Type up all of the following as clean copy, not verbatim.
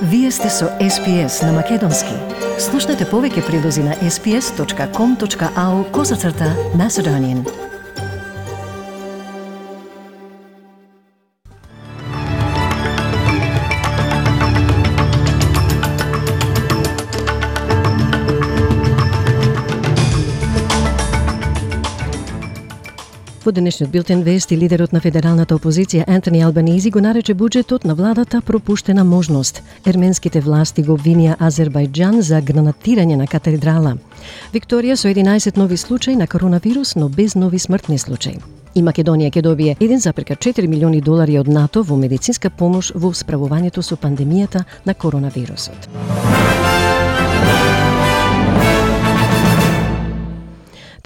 Вие сте со SPS на Македонски. Слушнете повеќе прилози на sps.com.au/Macedonian. Во денешниот билтен вести, лидерот на федералната опозиција Антони Албанизи го нарече буџетот на владата пропуштена можност. Ерменските власти го обвинија Азербајџан за гранатирање на катедрала. Викторија со 11 нови случаи на коронавирус, но без нови смртни случаи. И Македонија ќе добие $1,4 милиони од НАТО во медицинска помош во справувањето со пандемијата на коронавирусот.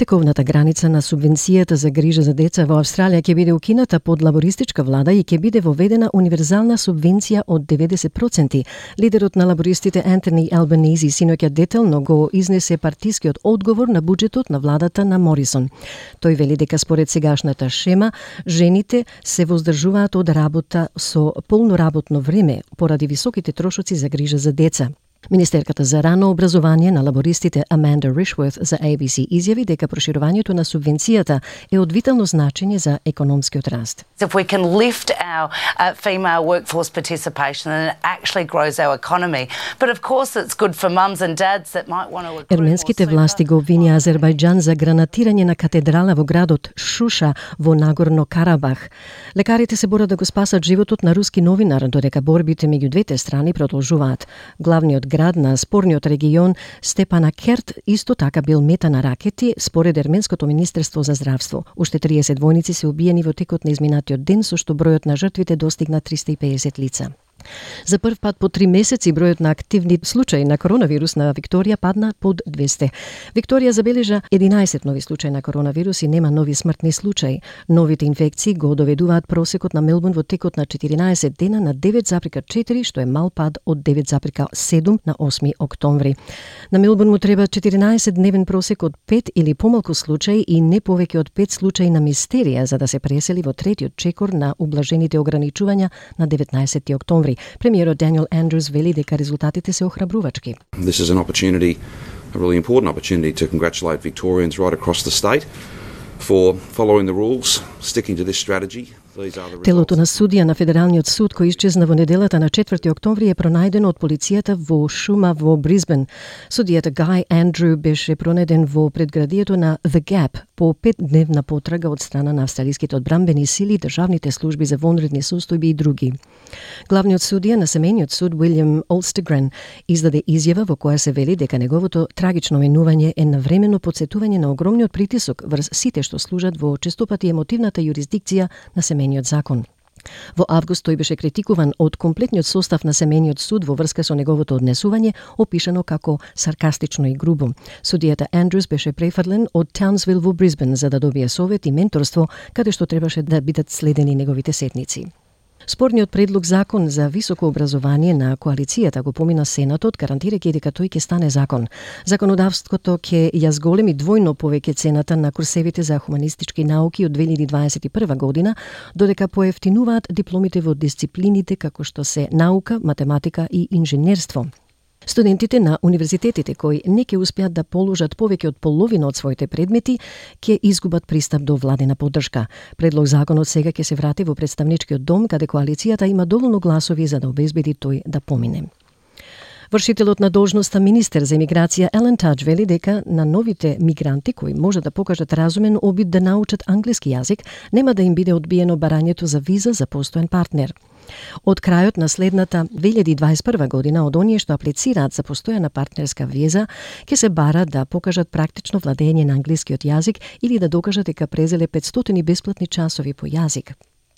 Тековната граница на субвенцијата за грижа за деца во Австралија ќе биде укината под лабористичка влада и ќе биде воведена универзална субвенција од 90%. Лидерот на лабористите Антони Албанизи синоќа детално го изнесе партискиот одговор на буџетот на владата на Морисон. Тој вели дека според сегашната шема, жените се воздржуваат од работа со полно работно време поради високите трошоци за грижа за деца. Министерката за рано образование на лабористите Аманда Ришворth за ABC изјави дека проширувањето на субвенцијата е од витално значење за економскиот раст. If we can lift our female workforce participation, then it actually grows our economy. But of course it's good for mums and dads that might want to recruit. Ерменските власти го обвинија Азербајџан за гранатирање на катедрала во градот Шуша во Нагорно Карабах. Лекарите се борат да го спасат животот на руски новинар, додека борбите меѓу двете страни продолжуваат. Главниот град на спорниот регион Степанакерт исто така бил мета на ракети, според Ерменското министерство за здравство. Уште 30 војници се убиени во текот на изминатиот ден, со што бројот на жртвите достигна 350 лица. За прв пат по 3 месеци бројот на активни случаи на коронавирус на Викторија падна под 200. Викторија забележа 11 нови случаи на коронавирус и нема нови смртни случаи. Новите инфекции го доведуваат просекот на Мелбурн во текот на 14 дена на 9,4, што е мал пад од 9,7 на 8 октомври. На Мелбурн му треба 14-дневен просек од 5 или помалку случаи и не повеќе од 5 случаи на мистерија за да се пресели во третиот чекор на ублажените ограничувања на 19 октомври. Премиерот Даниел Андрус вели дека резултатите се охрабрувачки. This is an opportunity, a really important opportunity to congratulate Victorians right across the state for following the rules, sticking to this strategy. Телото на судија на Федералниот суд кој исчезна во неделата на 4 октомври е пронајдено од полицијата во шума во Брисбен. Судијата Гај Андру беше пронајден во предградието на The Gap по 5-дневна потрага од страна на австралиските одбранбени сили, државните служби за вонредни состојби и други. Главниот судија на семејниот суд Уилјам Олстегрен издаде изјава во која се вели дека неговото трагично минување е навремено потсетување на огромниот притисок врз сите што служат во честопати емотивната јурисдикција на семејниот закон. Во август тој беше критикуван од комплетниот состав на семејниот суд во врска со неговото однесување, опишано како саркастично и грубо. Судијата Андрус беше префрлен од Таунсвил во Брисбен за да добие совет и менторство, каде што требаше да бидат следени неговите сетници. Спорниот предлог закон за високо образование на коалицијата го помина Сенатот, гарантирајќи дека тој ќе стане закон. Законодавството ќе ја зголеми двојно повеќе цената на курсевите за хуманистички науки од 2021 година, додека поевтинуваат дипломите во дисциплините како што се наука, математика и инженерство. Студентите на универзитетите кои не ќе успеат да положат повеќе од половина од своите предмети ќе изгубат пристап до владина поддршка. Предлог законот сега ќе се врати во представничкиот дом, каде коалицијата има доволно гласови за да обезбеди тој да помине. Вршителот на должноста министер за имиграција Елен Тадж вели дека на новите мигранти кои може да покажат разумен обид да научат англиски јазик, нема да им биде одбиено барањето за виза за постојан партнер. Од крајот на следната 2021 година од оние што аплицираат за постојана партнерска виза ќе се бара да покажат практично владење на англискиот јазик или да докажат дека презеле 500 бесплатни часови по јазик.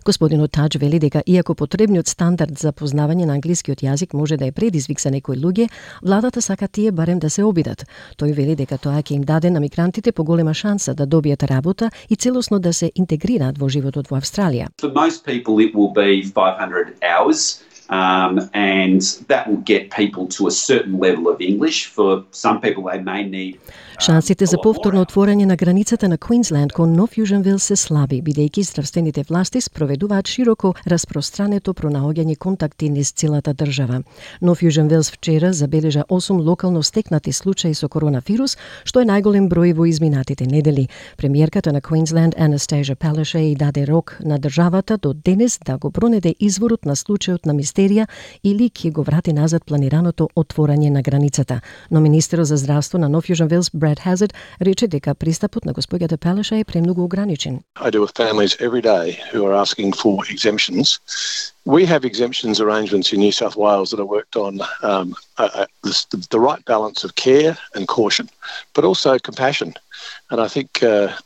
Господинот Тадж вели дека иако потребниот стандард за познавање на англискиот јазик може да е предизвик за некои луѓе, владата сака тие барем да се обидат. Тој вели дека тоа ќе им даде на мигрантите поголема шанса да добијат работа и целосно да се интегрираат во животот во Австралија. For most people it will be 500 hours. And that will get people to a certain level of English. For some people they may need Шансите за повторно отворање на границата на Квинсленд кон Нов Јужен Велс се слаби, бидејќи здравствените власти спроведуваат широко распространето пронаоѓање контакти низ целата држава. Нов Јужен Велс вчера забележа 8 локално стекнати случаи со коронавирус, што е најголем број во изминатите недели. Премиерката на Квинсленд Анастасија Палашеј даде рок на државата до денес да го пронајде изворот на случајот на мистерија или ќе го врати назад планираното отворање на границата. Но министерот за здравство на Нов Јужен Велс Brad Hazard рече дека пристапот на господјата Палашеј е премногу ограничен. I deal with families every day who are asking for exemptions. We have exemptions arrangements in New South Wales that are worked on the right balance of care and caution, but also compassion. And I think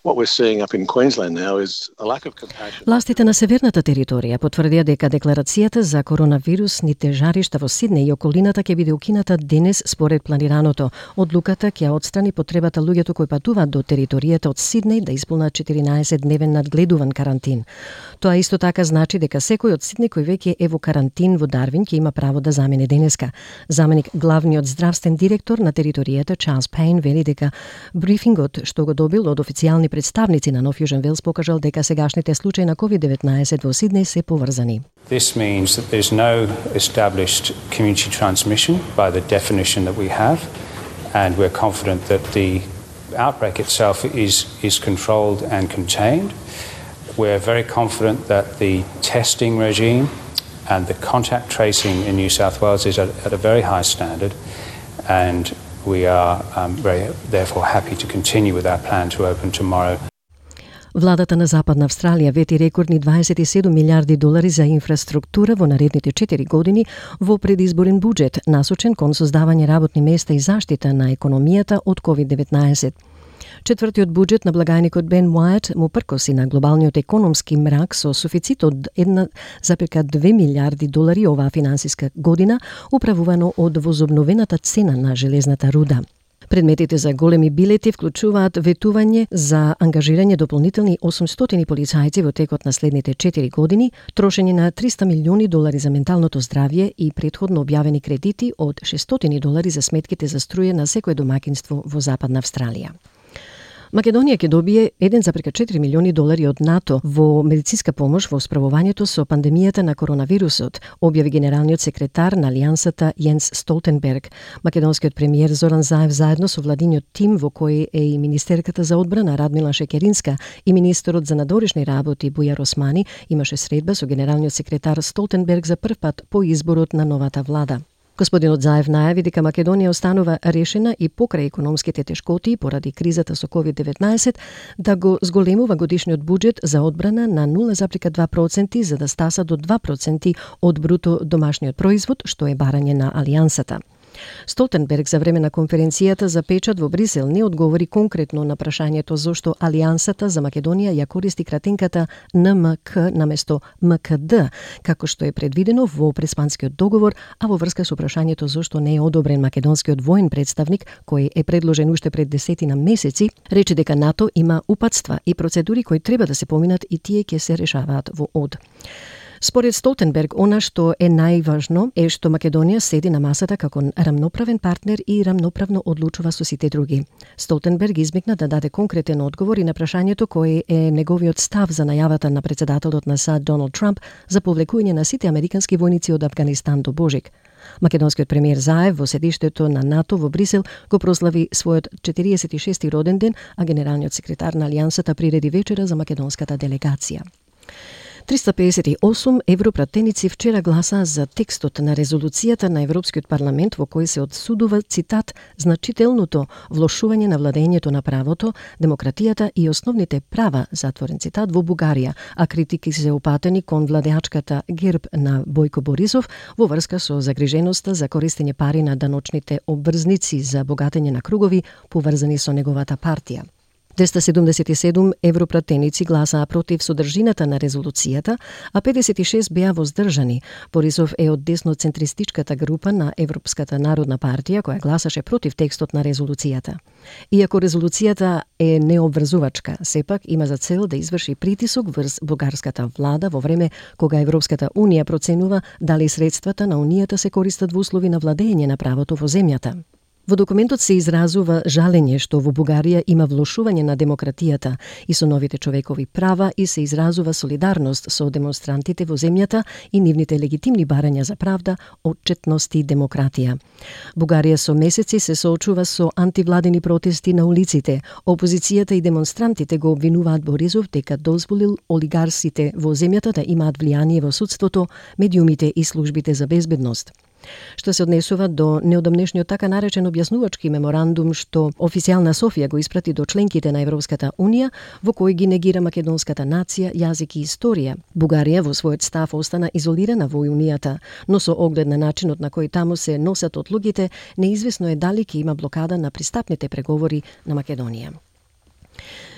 what we're seeing up in Queensland now is a lack of compassion. Властите на северната територија потврдија дека декларацијата за коронавирусните жаришта во Сиднеј и околината ќе биде укината денес според планираното. Одлуката ќе отстрани потребата луѓето кои патуваат до територијата од Сиднеј да исполнат 14-дневен надгледуван карантин. Тоа исто така значи дека секој од Сиднеј кој веќе е во карантин во Дарвин ќе има право да замине денеска. Заменик главниот здравствен директор на територијата Чарлс Пейн вели дека брифингот што го добил од официјални представници на Нов Јужен Велс покажал дека сегашните случаи на COVID-19 во Сиднеј се поврзани. This means that there's no established community transmission by the definition that we have, and we're confident that the outbreak itself is controlled and contained. We're very confident that the testing regime and the contact tracing in New South Wales is at a very high standard, and we are therefore happy to continue with our plan to open tomorrow. Владата на Западна Австралија вети рекордни 27 милиарди долари за инфраструктура во наредните 4 години во предизборен буџет, насочен кон создавање работни места и заштита на економијата од COVID-19. Четвртиот буџет на благајникот Бен Уајт му пркоси на глобалниот економски мрак со суфицит од 1,2 милиарди долари оваа финансиска година, управувано од возобновената цена на железната руда. Предметите за големи билети вклучуваат ветување за ангажирање дополнителни 800 полицајци во текот на следните 4 години, трошење на 300 милиони долари за менталното здравје и претходно објавени кредити од 600 долари за сметките за струја на секое домакинство во Западна Австралија. Македонија ќе добие 1,4 милиони долари од НАТО во медицинска помош во справувањето со пандемијата на коронавирусот, објави генералниот секретар на Алијансата Јенс Столтенберг. Македонскиот премиер Зоран Заев заедно со владиниот тим во кој е и министерката за одбрана Радмила Шекеринска и министерот за надворешни работи Бујар Османи имаше средба со генералниот секретар Столтенберг за прв пат по изборот на новата влада. Господинот Заев најави дека Македонија останува решена и покрај економските тешкоти поради кризата со COVID-19 да го зголемува годишниот буџет за одбрана на 0,2% за да стаса до 2% од бруто домашниот производ, што е барање на Алијансата. Столтенберг за време на конференцијата за печат во Брисел не одговори конкретно на прашањето зошто Алијансата за Македонија ја користи кратинката НМК наместо МКД, како што е предвидено во преспанскиот договор, а во врска со прашањето зошто не е одобрен македонскиот воен представник, кој е предложен уште пред 10 месеци, рече дека НАТО има упатства и процедури кои треба да се поминат и тие ќе се решаваат во ОД. Според Столтенберг, она што е најважно е што Македонија седи на масата како рамноправен партнер и рамноправно одлучува со сите други. Столтенберг измекна да даде конкретен одговор и на прашањето кој е неговиот став за најавата на председателот на САД Доналд Трамп за повлекување на сите американски војници од Авганистан до Божик. Македонскиот премиер Заев во седиштето на НАТО во Брисел го прослави својот 46-ти роден ден, а генералниот секретар на Алијансата приреди вечера за македонската делегација. 358 европратеници вчера гласаа за текстот на резолуцијата на Европскиот парламент во кој се одсудува, цитат, значителното влошување на владењето на правото, демократијата и основните права, затворен цитат, во Бугарија, а критики се упатени кон владеачката ГЕРБ на Бојко Борисов во врска со загриженоста за користење пари на даночните обврзници за богатење на кругови поврзани со неговата партија. 277 европратеници гласаа против содржината на резолуцијата, а 56 беа воздржани. Борисов е од десноцентристичката група на Европската народна партија која гласаше против текстот на резолуцијата. Иако резолуцијата е необврзувачка, сепак има за цел да изврши притисок врз бугарската влада во време кога Европската унија проценува дали средствата на унијата се користат во услови на владење на правото во земјата. Во документот се изразува жалење што во Бугарија има влошување на демократијата и со новите човекови права и се изразува солидарност со демонстрантите во земјата и нивните легитимни барања за правда, отчетност и демократија. Бугарија со месеци се соочува со антивладени протести на улиците. Опозицијата и демонстрантите го обвинуваат Борисов дека дозволил олигарсите во земјата да имаат влијание во судството, медиумите и службите за безбедност. Што се однесува до неодамнешниот така наречен објаснувачки меморандум што официјална Софија го испрати до членките на Европската Унија, во кој ги негира македонската нација, јазик и историја. Бугарија во својот став остана изолирана во Унијата, но со оглед на начинот на кој таму се носат одлугите, неизвестно е дали ќе има блокада на пристапните преговори на Македонија.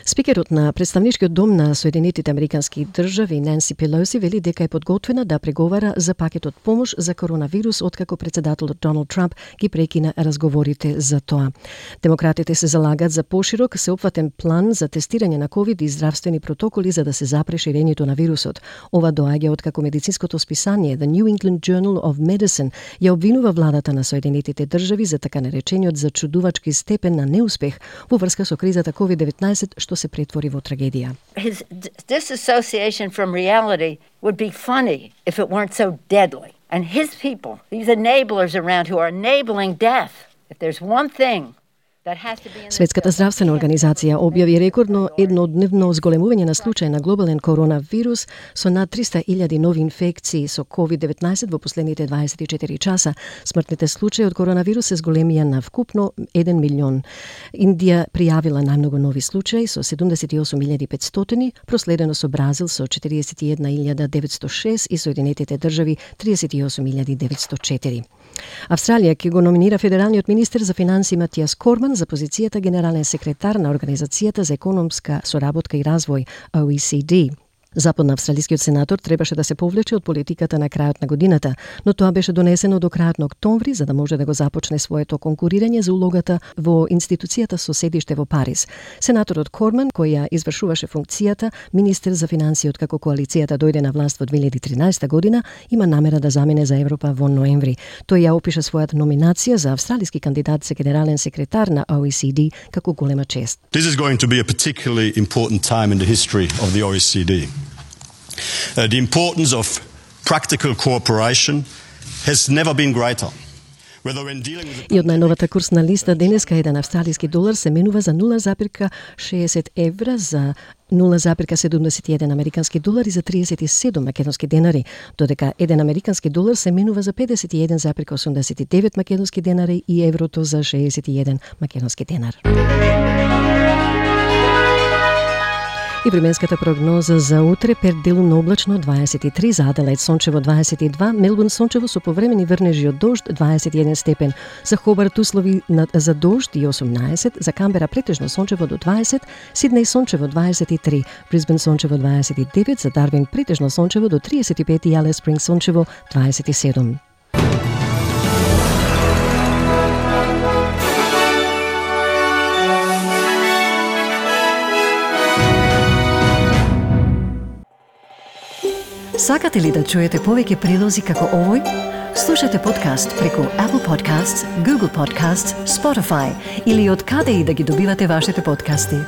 Спикерот на Представничкиот дом на Соединетите Американски држави Ненси Пелоси вели дека е подготвена да преговара за пакетот помош за коронавирус откако претседателот Доналд Трамп ги прекина разговорите за тоа. Демократите се залагат за поширок сеопфатен план за тестирање на ковид и здравствени протоколи за да се запре ширењето на вирусот. Ова доаѓа откако медицинското списание The New England Journal of Medicine ја обвинува владата на Соединетите држави за така наречениот зачудувачки степен на неуспех во врска со кризата COVID-19 што се претвори во трагедија. His disassociation from reality would be funny if it weren't so deadly. And his people, these enablers around who are enabling death, if there's one thing Светската здравствена организација објави рекордно еднодневно зголемување на случаи на глобален коронавирус со над 300.000 нови инфекции со COVID-19 во последните 24 часа. Смртните случаи од коронавирус се зголемија на вкупно 1 милион. Индија пријавила најмногу нови случаи со 78.500, проследено со Бразил со 41.906 и Соединетите држави 38.904. Австралија ќе го номинира федералниот министер за финансии Матиас Корман за позицијата генерален секретар на Организацијата за економска соработка и развој OECD. Западноавстралискиот сенатор требаше да се повлече од политиката на крајот на годината, но тоа беше донесено до крајот на октомври за да може да го започне своето конкурирање за улогата во институцијата со седиште во Париз. Сенаторот Корман, кој ја извршуваше функцијата министер за финансии откако коалицијата дојде на власт во 2013 година, има намера да замене за Европа во ноември. Тој ја опиша својата номинација за австралиски кандидат за генерален секретар на OECD како голема чест. This is going to be a particularly important time in the history of the OECD. The importance of practical cooperation has never been greater. И од најновата курсна листа денеска еден австралиски долар се менува за 0,60 евра, за 0,71 американски долари, за 37 македонски денари, додека еден американски долар се менува за 51,89 македонски денари и еврото за 61 македонски денар. И временската прогноза за утре: Перт делумно облачно 23, за Аделаид сончево 22, Мелбурн сончево со повремени врнежи од дожд 21 степен, за Хобарт услови за дожд и 18, за Камбера претежно сончево до 20, Сиднеј сончево 23, Брисбен сончево 29, за Дарвин претежно сончево до 35 и Алис Спринг сончево 27. Сакате ли да чуете повеќе прилози како овој? Слушате подкаст преку Apple Podcasts, Google Podcasts, Spotify или од каде и да ги добивате вашите подкасти.